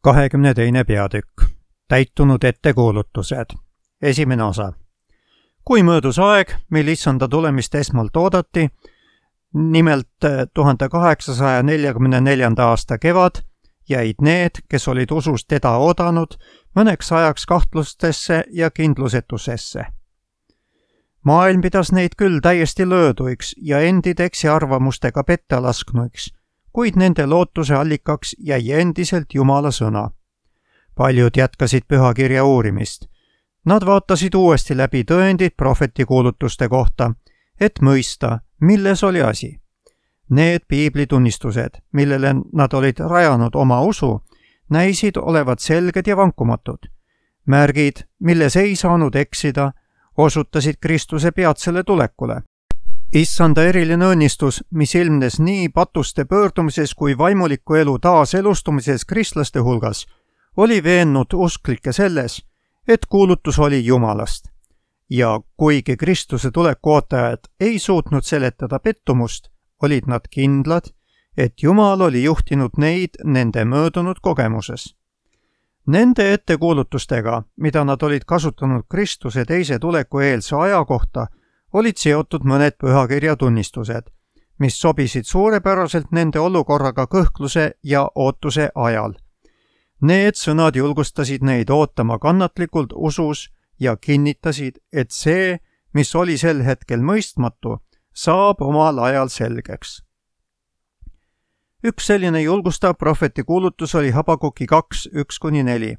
22. peatükk. Täitunud ettekuulutused. Esimene osa. Kui möödus aeg, mil issanda tulemist esmalt oodati, nimelt 1844. aasta kevad, jäid need, kes olid usus teda oodanud, mõneks ajaks kahtlustesse ja kindlusetusesse. Maailm pidas neid küll täiesti lööduiks ja endid eksiarvamustega petta lasknuiks, kuid nende lootuse allikaks jäi endiselt Jumala sõna. Paljud jätkasid pühakirja uurimist. Nad vaatasid uuesti läbi tõendid prohveti kuulutuste kohta, et mõista, milles oli asi. Need piiblitunnistused, millele nad olid rajanud oma usu, näisid olevat selged ja vankumatud. Märgid, milles ei saanud eksida, osutasid Kristuse peatsele tulekule. Issanda eriline õnnistus, mis ilmnes nii patuste pöördumises kui vaimuliku elu taaselustumises kristlaste hulgas, oli veennud usklikke selles, et kuulutus oli Jumalast. Ja kuigi Kristuse tuleku ootajad ei suutnud seletada pettumust, olid nad kindlad, et Jumal oli juhtinud neid nende möödunud kogemuses. Nende ettekuulutustega, mida nad olid kasutanud Kristuse teise tuleku eelse aja kohta, olid seotud mõned pühakirja tunnistused, mis sobisid suurepäraselt nende olukorraga kõhkluse ja ootuse ajal. Need sõnad julgustasid neid ootama kannatlikult usus ja kinnitasid, et see, mis oli sel hetkel mõistmatu, saab omal ajal selgeks. Üks selline julgustav prohveti kuulutus oli Habakuki 2:1-4.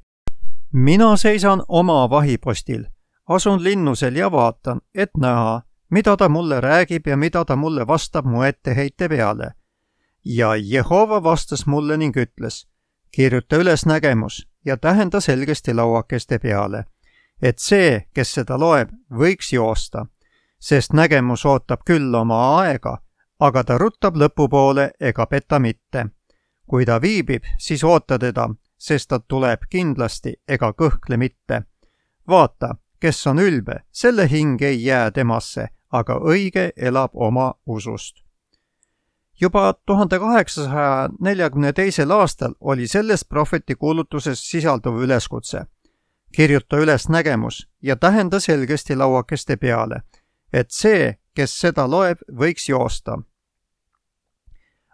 Mina seisan oma vahipostil. Asun linnusel ja vaatan, et näha, mida ta mulle räägib ja mida ta mulle vastab mu etteheite peale. Ja Jehova vastas mulle ning ütles, kirjuta üles nägemus ja tähenda selgesti lauakeste peale, et see, kes seda loeb, võiks joosta, sest nägemus ootab küll oma aega, aga ta ruttab lõpupoole ega peta mitte. Kui ta viibib, siis oota teda, sest ta tuleb kindlasti ega kõhkle mitte. Vaata, kes on ülbe, selle hing ei jää temasse, aga õige elab oma usust. Juba 1842. aastal oli selles prohveti kuulutuses sisalduv üleskutse. Kirjuta üles nägemus ja tähenda selgesti lauakeste peale, et see, kes seda loeb, võiks joosta.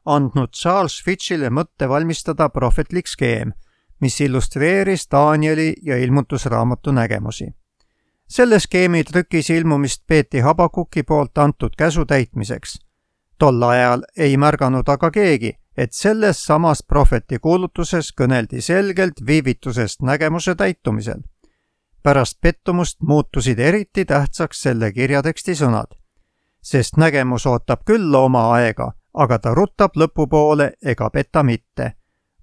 Andnud Charles Fitchile mõtte valmistada prohvetlik skeem, mis illustreeris Danieli ja ilmutusraamatu nägemusi. Selle skeemi trükis ilmumist peeti Habakuki poolt antud käsu täitmiseks. Tol ajal ei märganud aga keegi, et selles samas prohveti kuulutuses kõneldi selgelt viivitusest nägemuse täitumisel. Pärast pettumust muutusid eriti tähtsaks selle kirjateksti sõnad. Sest nägemus ootab küll oma aega, aga ta ruttab lõpupoole ega peta mitte.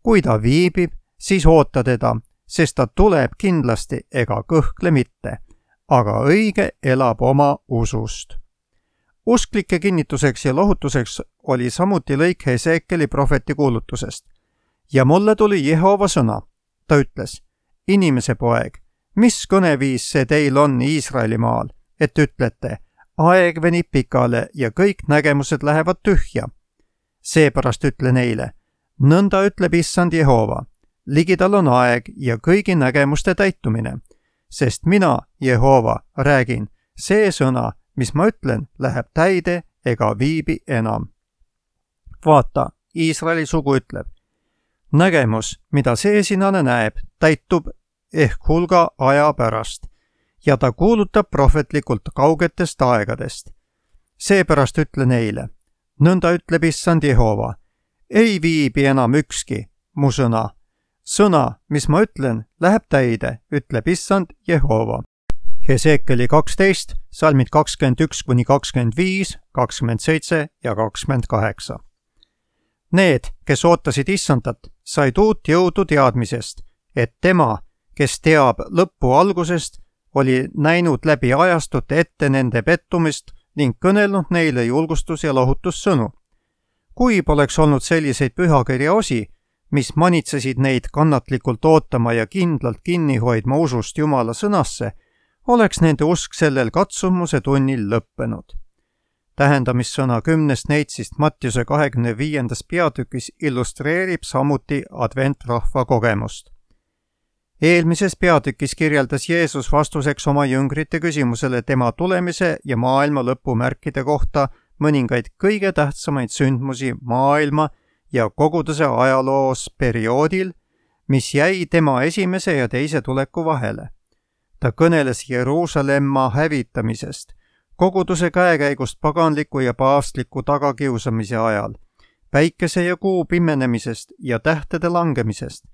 Kui ta viibib, siis oota teda, sest ta tuleb kindlasti ega kõhkle mitte. Aga õige elab oma usust. Usklike kinnituseks ja lohutuseks oli samuti lõik Heseekeli prohveti kuulutusest. Ja mulle tuli Jehova sõna. Ta ütles, inimese poeg, mis kõneviis see teil on Iisraelimaal, et ütlete, aeg venib pikale ja kõik nägemused lähevad tühja. Seepärast ütle neile, nõnda ütleb issand Jehova, ligidal on aeg ja kõigi nägemuste täitumine. Sest mina, Jehova, räägin, see sõna, mis ma ütlen, läheb täide ega viibi enam. Vaata, Iisraeli sugu ütleb, nägemus, mida see sinane näeb, täitub ehk hulga aja pärast ja ta kuulutab prohvetlikult kaugetest aegadest. Seepärast ütle neile, nõnda ütleb issand Jehova, ei viibi enam ükski mu sõna. Sõna, mis ma ütlen, läheb täide, ütleb issand Jehova. Heseekeli 12, salmid 21-25, 27 ja 28. Need, kes ootasid issandat, said uut jõudu teadmisest, et tema, kes teab lõppu algusest, oli näinud läbi ajastute ette nende pettumist ning kõnelnud neile julgustus- ja lohutussõnu. Kui poleks olnud selliseid pühakirja osi, mis manitsesid neid kannatlikult ootama ja kindlalt kinni hoidma usust Jumala sõnasse, oleks nende usk sellel katsumuse tunnil lõppenud. Tähendamissõna 10 neitsist Mattiuse 25. peatükis illustreerib samuti adventrahva kogemust. Eelmises peatükis kirjeldas Jeesus vastuseks oma jüngrite küsimusele tema tulemise ja maailma lõpumärkide kohta mõningaid kõige tähtsamaid sündmusi maailma ja koguduse ajaloos perioodil, mis jäi tema esimese ja teise tuleku vahele. Ta kõneles Jeruusalemma hävitamisest, koguduse käekäigust paganliku ja paavstliku tagakiusamise ajal, päikese ja kuu pimenemisest ja tähtede langemisest.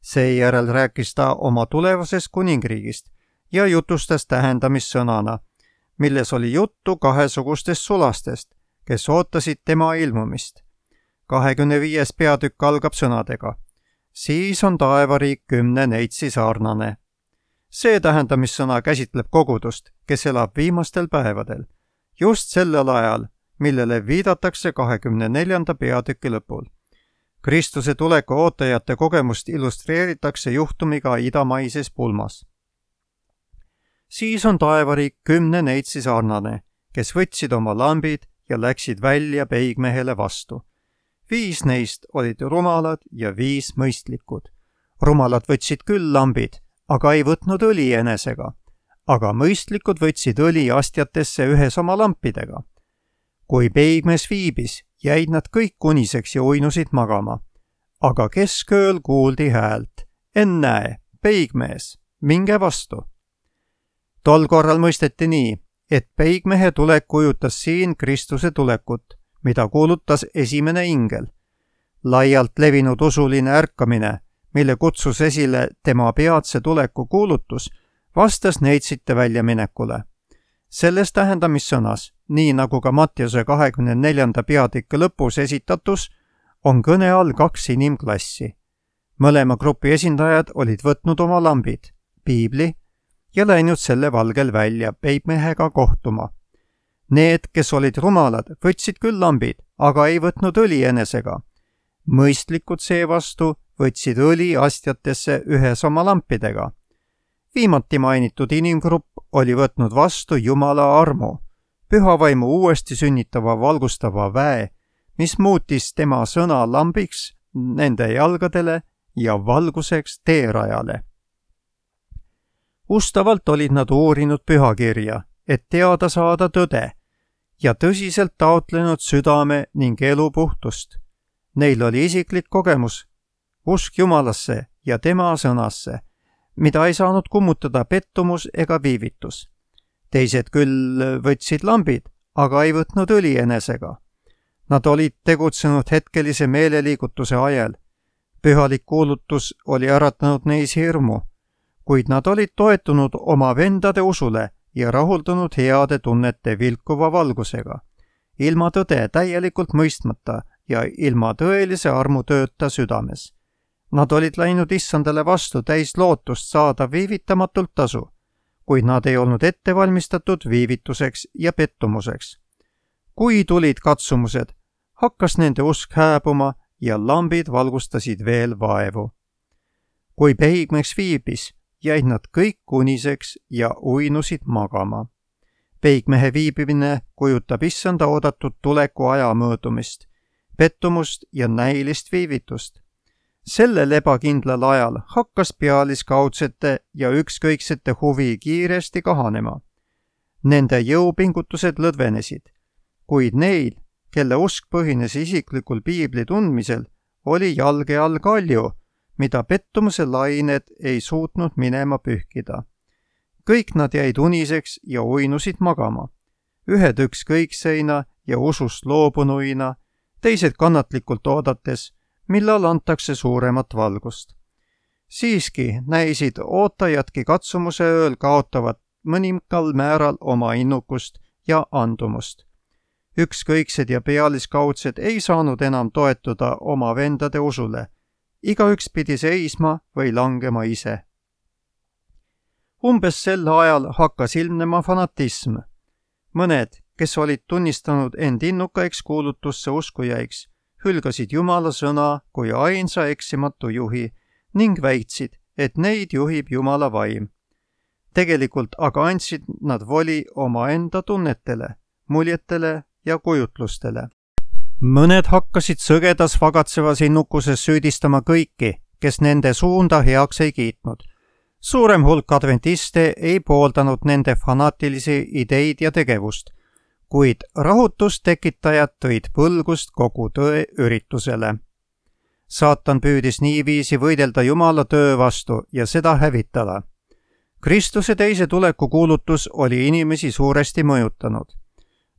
Seejärel rääkis ta oma tulevasest kuningriigist ja jutustas tähendamissõnana, milles oli juttu kahesugustest sulastest, kes ootasid tema ilmumist. 25. peatükk algab sõnadega: siis on taevariik 10 neitsi sarnane. See tähendamissõna käsitleb kogudust, kes elab viimastel päevadel, just sellel ajal, millele viidatakse 24. peatüki lõpul. Kristuse tuleku ootajate kogemust illustreeritakse juhtumiga idamaises pulmas. Siis on taevariik 10 neitsi sarnane, kes võtsid oma lambid ja läksid välja peigmehele vastu. 5 neist olid rumalad ja 5 mõistlikud. Rumalad võtsid küll lambid, aga ei võtnud õli enesega, aga mõistlikud võtsid õli astjatesse ühes oma lampidega. Kui peigmees viibis, jäid nad kõik uniseks ja uinusid magama. Aga keskööl kuuldi häält: ennäe, peigmees, minge vastu. Tol korral mõisteti nii, et peigmehe tulek kujutas siin Kristuse tulekut, mida kuulutas esimene ingel. Laialt levinud usuline ärkamine, mille kutsus esile tema peatse tuleku kuulutus, vastas neitsite väljaminekule. Selles tähendamissõnas, nii nagu ka Mattiuse 24. peatüki lõpus esitatus, on kõne all 2 inimklassi. Mõlema grupi esindajad olid võtnud oma lambid, piibli, ja läinud selle valgel välja peigmehega kohtuma. Need, kes olid rumalad, võtsid küll lambid, aga ei võtnud õli enesega. Mõistlikud seevastu võtsid õli astjatesse ühes oma lampidega. Viimati mainitud inimgrupp oli võtnud vastu Jumala armu, pühavaimu uuesti sünnitava valgustava väe, mis muutis tema sõna lambiks nende jalgadele ja valguseks teerajale. Ustavalt olid nad uurinud pühakirja, et teada saada tõde, ja tõsiselt taotlenud südame ning elu puhtust. Neil oli isiklik kogemus, usk Jumalasse ja tema sõnasse, mida ei saanud kummutada pettumus ega viivitus. Teised küll võtsid lambid, aga ei võtnud õli enesega. Nad olid tegutsenud hetkelise meeleliigutuse ajal. Pühalik kuulutus oli äratanud neis hirmu, kuid nad olid toetunud oma vendade usule ja rahuldunud heade tunnete vilkuva valgusega, ilma tõde täielikult mõistmata ja ilma tõelise armutööta südames. Nad olid läinud issandale vastu täis lootust saada viivitamatult tasu, kuid nad ei olnud ette valmistatud viivituseks ja pettumuseks. Kui tulid katsumused, hakkas nende usk hääbuma ja lambid valgustasid veel vaevu. Kui peigmeks viibis, jäid nad kõik uniseks ja uinusid magama. Peigmehe viibimine kujutab issanda oodatud tuleku aja möödumist, pettumust ja näilist viivitust. Sellel ebakindlal ajal hakkas pealiskaudsete ja ükskõiksete huvi kiiresti kahanema. Nende jõupingutused lõdvenesid, kuid neil, kelle usk põhines isiklikul piibli tundmisel, oli jalge all kalju, mida pettumuse lained ei suutnud minema pühkida. Kõik nad jäid uniseks ja uinusid magama. Ühed ükskõikseina ja usust loobunuina, teised kannatlikult oodates, millal antakse suuremat valgust. Siiski näisid ootajadki katsumuse ööl kaotavat mõningal määral oma innukust ja andumust. Ükskõiksed ja pealiskaudsed ei saanud enam toetuda oma vendade usule. Igaüks pidi seisma või langema ise. Umbes sel ajal hakkas ilmnema fanatism. Mõned, kes olid tunnistanud end innukaiks kuulutusse uskujaiks, hülgasid Jumala sõna kui ainsa eksimatu juhi ning väitsid, et neid juhib Jumala vaim. Tegelikult aga andsid nad voli omaenda tunnetele, muljetele ja kujutlustele. Mõned hakkasid sõgedas vagatsevas innukuses süüdistama kõiki, kes nende suunda heaks ei kiitnud. suurem hulk adventiste ei pooldanud nende fanaatilisi ideid ja tegevust, kuid rahutustekitajad tõid põlgust kogu tõe üritusele. Saatan püüdis niiviisi võidelda Jumala töö vastu ja seda hävitada. Kristuse teise tuleku kuulutus oli inimesi suuresti mõjutanud.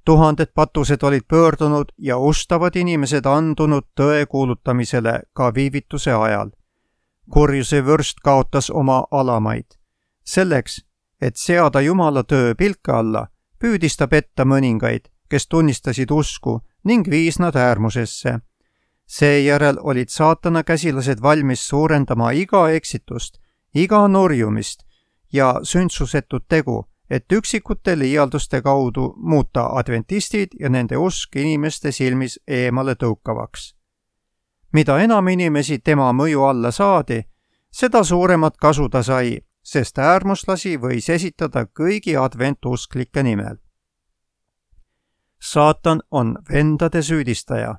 Tuhanded patused olid pöördunud ja ustavad inimesed andunud tõe kuulutamisele ka viivituse ajal. Kurjuse vürst kaotas oma alamaid. Selleks, et seada Jumala töö pilka alla, püüdis ta petta mõningaid, kes tunnistasid usku ning viis nad äärmusesse. Seejärel olid saatana käsilased valmis suurendama iga eksitust, iga nurjumist ja sündsusetut tegu, et üksikute liialduste kaudu muuta adventistid ja nende usk inimeste silmis eemale tõukavaks. Mida enam inimesi tema mõju alla saadi, seda suuremat kasu ta sai, sest äärmuslasi võis esitada kõigi adventusklike nimel. Saatan on vendade süüdistaja.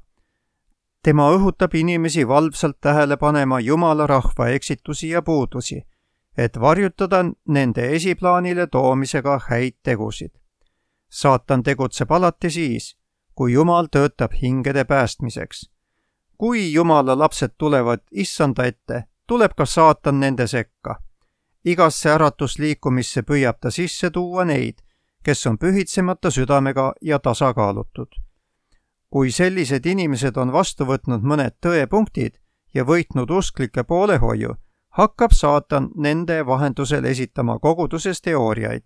Tema õhutab inimesi valvsalt tähele panema Jumala rahva eksitusi ja puudusi, et varjutada nende esiplaanile toomisega häid tegusid. Saatan tegutseb alati siis, kui Jumal töötab hingede päästmiseks. Kui Jumala lapsed tulevad issanda ette, tuleb ka saatan nende sekka. Igasse äratusliikumisse püüab ta sisse tuua neid, kes on pühitsemata südamega ja tasakaalutud. Kui sellised inimesed on vastu võtnud mõned tõepunktid ja võitnud usklike poolehoiu, hakkab saatan nende vahendusel esitama koguduses teooriaid,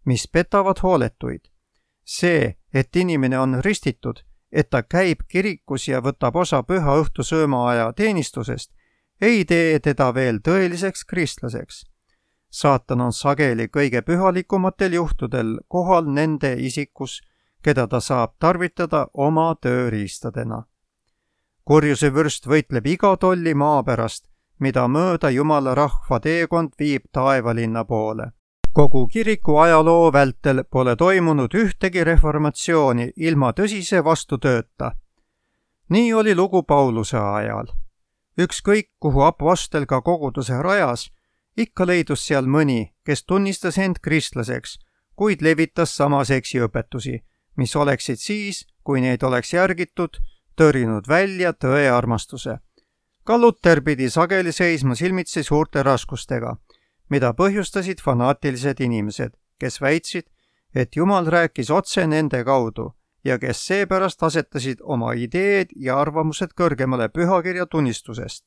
mis petavad hooletuid. See, et inimene on ristitud, et ta käib kirikus ja võtab osa püha õhtu söömaaja teenistusest, ei tee teda veel tõeliseks kristlaseks. Saatan on sageli kõige pühalikumatel juhtudel kohal nende isikus, keda ta saab tarvitada oma tööriistadena. Kurjuse vürst võitleb iga tolli maa pärast, mida mööda Jumala rahva teekond viib taevalinna poole. Kogu kiriku ajaloo vältel pole toimunud ühtegi reformatsiooni ilma tõsise vastutööta. Nii oli lugu Pauluse ajal. Ükskõik, kuhu apostel ka koguduse rajas, ikka leidus seal mõni, kes tunnistas end kristlaseks, kuid levitas samas eksiõpetusi, mis oleksid siis, kui neid oleks järgitud, tõrinud välja tõe armastuse. Ka Luter pidi sageli seisma silmitsi suurte raskustega, mida põhjustasid fanaatilised inimesed, kes väitsid, et Jumal rääkis otse nende kaudu ja kes seepärast asetasid oma ideed ja arvamused kõrgemale pühakirja tunnistusest.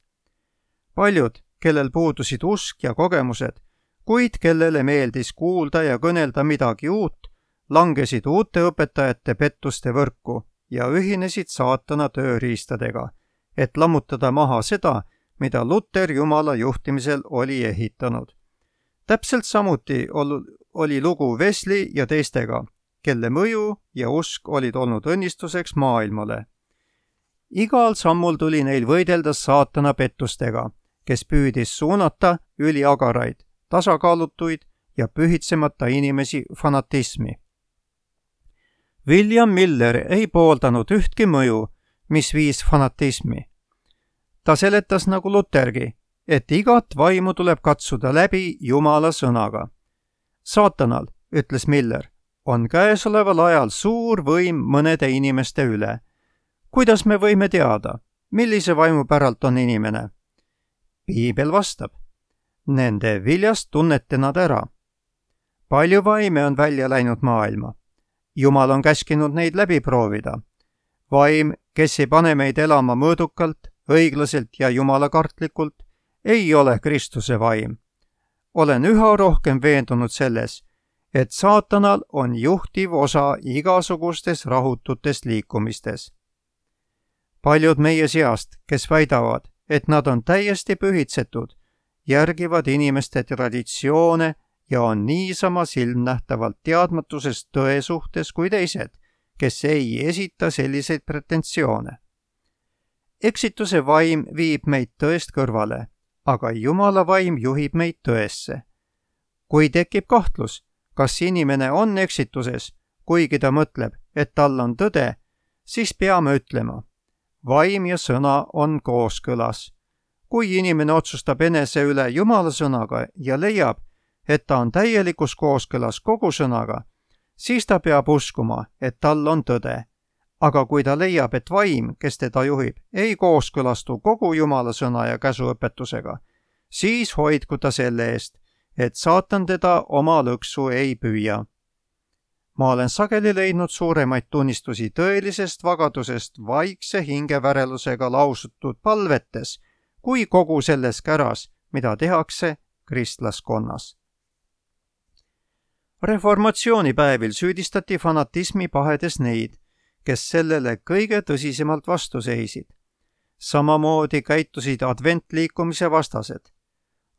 Paljud, kellel puudusid usk ja kogemused, kuid kellele meeldis kuulda ja kõnelda midagi uut, langesid uute õpetajate pettuste võrku ja ühinesid saatana tööriistadega, et lammutada maha seda, mida Luter Jumala juhtimisel oli ehitanud. Täpselt samuti oli lugu Wesley ja teistega, kelle mõju ja usk olid olnud õnnistuseks maailmale. Igal sammul tuli neil võidelda saatana pettustega, kes püüdis suunata üliagaraid, tasakaalutuid ja pühitsemata inimesi fanatismi. William Miller ei pooldanud ühtki mõju, mis viis fanatismi. Ta seletas nagu Lutergi, et igat vaimu tuleb katsuda läbi Jumala sõnaga. Saatanal, ütles Miller, on käesoleval ajal suur võim mõnede inimeste üle. Kuidas me võime teada, millise vaimu päralt on inimene? Piibel vastab, nende viljast tunnete nad ära. Palju vaime on välja läinud maailma. Jumal on käskinud neid läbi proovida. Vaim, kes ei pane meid elama mõõdukalt, õiglaselt ja jumalakartlikult, ei ole Kristuse vaim. Olen üha rohkem veendunud selles, et saatanal on juhtiv osa igasugustes rahututes liikumistes. Paljud meie seast, kes väidavad, et nad on täiesti pühitsetud, järgivad inimeste traditsioone ja on niisama silmnähtavalt teadmatusest tõe suhtes kui teised, kes ei esita selliseid pretensioone. Eksituse vaim viib meid tõest kõrvale, aga Jumala vaim juhib meid tõesse. Kui tekib kahtlus, kas inimene on eksituses, kuigi ta mõtleb, et tal on tõde, siis peame ütlema, vaim ja sõna on kooskõlas. kui inimene otsustab enese üle Jumala sõnaga ja leiab, et ta on täielikus kooskõlas kogu sõnaga, siis ta peab uskuma, et tal on tõde. Aga kui ta leiab, et vaim, kes teda juhib, ei kooskõlastu kogu Jumala sõna ja käsuõpetusega, siis hoidku ta selle eest, et saatan teda oma lõksu ei püüa. Ma olen sageli leidnud suuremaid tunnistusi tõelisest vagadusest vaikse hingevärelusega lausutud palvetes, kui kogu selles käras, mida tehakse kristlaskonnas. Reformatsioonipäevil süüdistati fanatismi pahedes neid, kes sellele kõige tõsisemalt vastu seisid. Samamoodi käitusid adventliikumise vastased.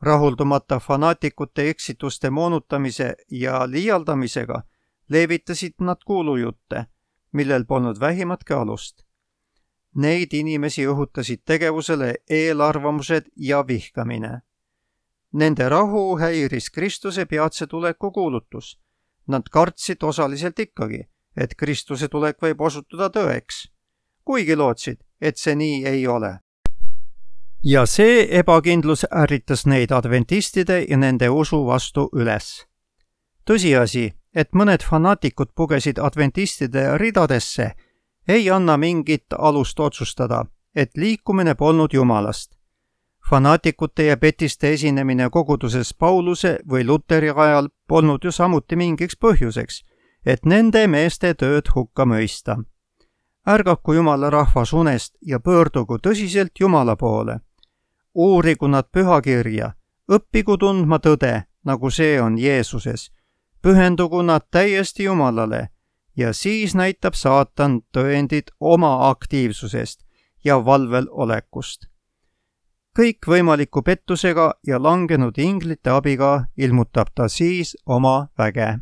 Rahuldumata fanaatikute eksituste moonutamise ja liialdamisega levitasid nad kuulujutte, millel polnud vähimatki alust. Neid inimesi õhutasid tegevusele eelarvamused ja vihkamine. Nende rahu häiris Kristuse peatse tuleku kuulutus. Nad kartsid osaliselt ikkagi, et Kristuse tulek võib osutuda tõeks, kuigi lootsid, et see nii ei ole. Ja see ebakindlus ärritas neid adventistide ja nende usu vastu üles. Tõsiasi, et mõned fanaatikud pugesid adventistide ridadesse, ei anna mingit alust otsustada, et liikumine polnud Jumalast. Fanaatikute ja petiste esinemine koguduses Pauluse või Luteri ajal polnud ju samuti mingiks põhjuseks, et nende meeste tööd hukka mõista. Ärgaku Jumala rahvas unest ja pöördugu tõsiselt Jumala poole. Uurigu nad pühakirja, õppigu tundma tõde, nagu see on Jeesuses. Pühendugu nad täiesti Jumalale ja siis näitab saatan tõendid oma aktiivsusest ja valvel olekust. Kõik võimaliku pettusega ja langenud inglite abiga ilmutab ta siis oma väge.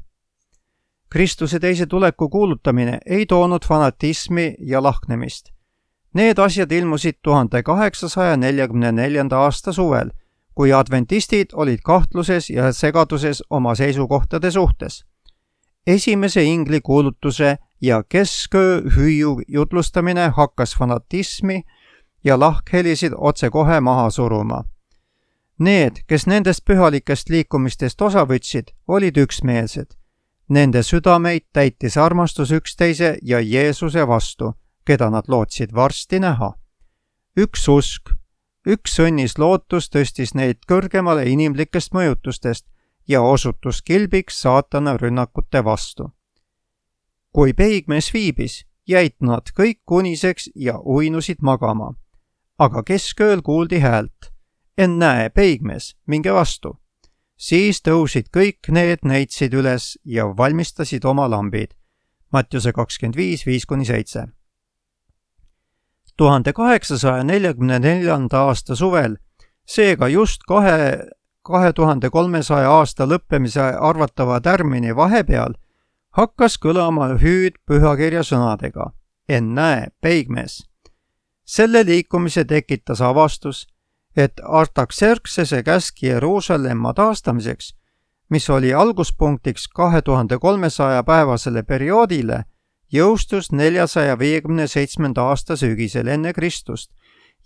Kristuse teise tuleku kuulutamine ei toonud fanatismi ja lahknemist. Need asjad ilmusid 1844. aasta suvel, kui adventistid olid kahtluses ja segaduses oma seisukohtade suhtes. Esimese ingli kuulutuse ja kesköö hüüu jutlustamine hakkas fanatismi ja lahkhelisid otsekohe maha suruma. Need, kes nendest pühalikest liikumistest osa võtsid, olid üksmeelsed. Nende südameid täitis armastus üksteise ja Jeesuse vastu, keda nad lootsid varsti näha. Üks usk, üks õnnis lootus tõstis neid kõrgemale inimlikest mõjutustest ja osutus kilbiks saatana rünnakute vastu. Kui peigmees viibis, jäid nad kõik uniseks ja uinusid magama. Aga keskööl kuuldi häält. Ennäe, peigmees, minge vastu. Siis tõusid kõik need neitsid üles ja valmistasid oma lambid. Mattiuse 25:5-7. 1844. aasta suvel, seega just 2300 aasta lõppemise arvatava tärmini vahepeal, hakkas kõlama hüüd pühakirja sõnadega. Ennäe, peigmees. Selle liikumise tekitas avastus, et Artaxerxese käsk Jeruusalemma taastamiseks, mis oli alguspunktiks 2300 päevasele perioodile, jõustus 457. aasta sügisel enne Kristust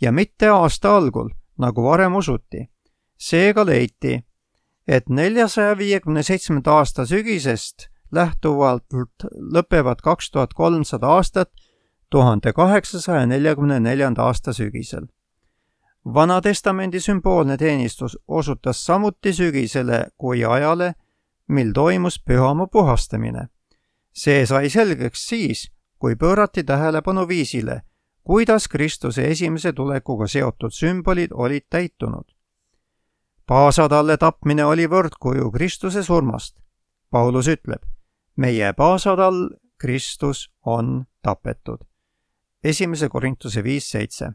ja mitte aasta algul, nagu varem usuti. Seega leiti, et 457. aasta sügisest lähtuvalt lõpevad 2300 aastat 1844. aasta sügisel. Vanatestamendi sümboolne teenistus osutas samuti sügisele kui ajale, mil toimus pühamu puhastamine. See sai selgeks siis, kui pöörati tähelepanu viisile, kuidas Kristuse esimese tulekuga seotud sümbolid olid täitunud. Paasatalle tapmine oli võrdkuju Kristuse surmast. Paulus ütleb, meie paasatall Kristus on tapetud. 1. Korintuse 5:7.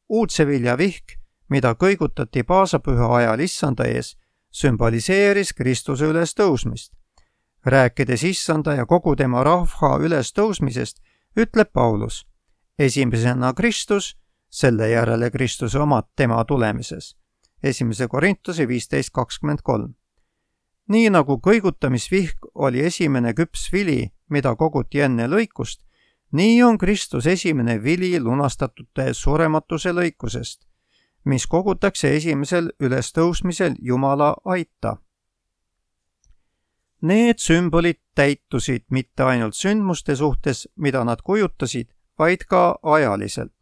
Uudsevilja vihk, mida kõigutati paasapüha ajal issanda ees, sümboliseeris Kristuse ülestõusmist. Rääkides issanda ja kogu tema rahva ülestõusmisest, ütleb Paulus, esimesena Kristus, selle järele Kristuse omad tema tulemises. 1. Korintuse 15:23. Nii nagu kõigutamisvihk oli esimene küps vili, mida koguti enne lõikust, nii on Kristus esimene vili lunastatute surematuse lõikusest, mis kogutakse esimesel ülestõusmisel Jumala aita. Need sümbolid täitusid mitte ainult sündmuste suhtes, mida nad kujutasid, vaid ka ajaliselt.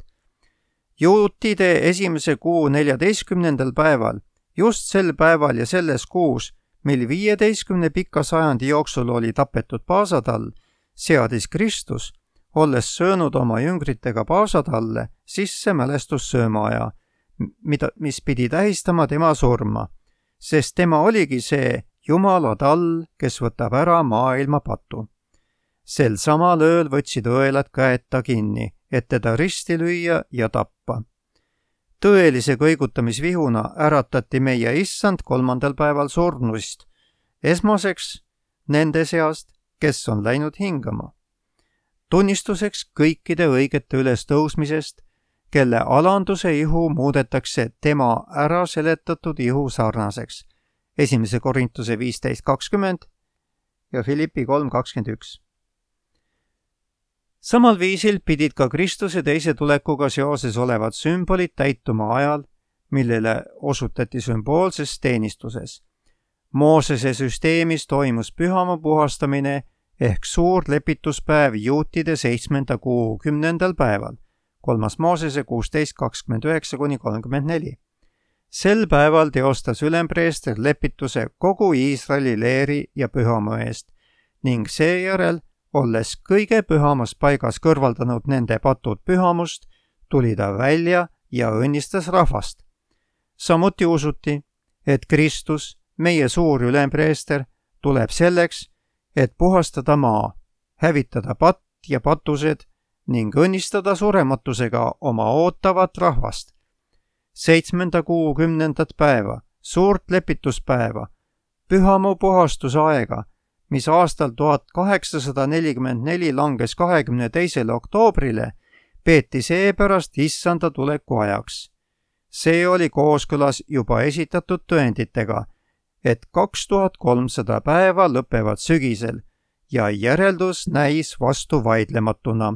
Juutide esimese kuu 14. päeval, just sel päeval ja selles kuus, mil 15 pika sajandi jooksul oli tapetud paasatall, seadis Kristus, olles söönud oma jüngritega paasatalle, sisse mälestussöömaaja, mis pidi tähistama tema surma, sest tema oligi see Jumala tall, kes võtab ära maailma patu. Sel samal ööl võtsid õelad käed ta kinni, et teda risti lüüa ja tappa. Tõelise kõigutamisvihuna äratati meie issand 3. päeval surnuist, esmaseks nende seast, kes on läinud hingama. Tunnistuseks kõikide õigete ülestõusmisest, kelle alanduse ihu muudetakse tema ära seletatud ihu sarnaseks. 1. Korintuse 15:20 ja Filippi 3:21. Samal viisil pidid ka Kristuse teise tulekuga seoses olevad sümbolid täituma ajal, millele osutati sümboolses teenistuses. Moosese süsteemis toimus pühamaa puhastamine ehk suur lepituspäev juutide 7. kuu 10. päeval, 3. Moosese 16:29-34. Sel päeval teostas ülempreester lepituse kogu Iisraeli leeri ja pühamaa eest ning seejärel, olles kõige pühamas paigas kõrvaldanud nende patud pühamust, tuli ta välja ja õnnistas rahvast. Samuti usuti, et Kristus, meie suur ülempreester, tuleb selleks, et puhastada maa, hävitada patt ja patused ning õnnistada surematusega oma ootavat rahvast. 7. kuu 10. päeva, suurt lepituspäeva, pühamu puhastusaega, mis aastal 1844 langes 22. oktoobrile, peeti seepärast issanda tuleku ajaks. See oli kooskõlas juba esitatud tõenditega, et 2300 päeva lõpevad sügisel ja järeldus näis vastuvaidlematuna.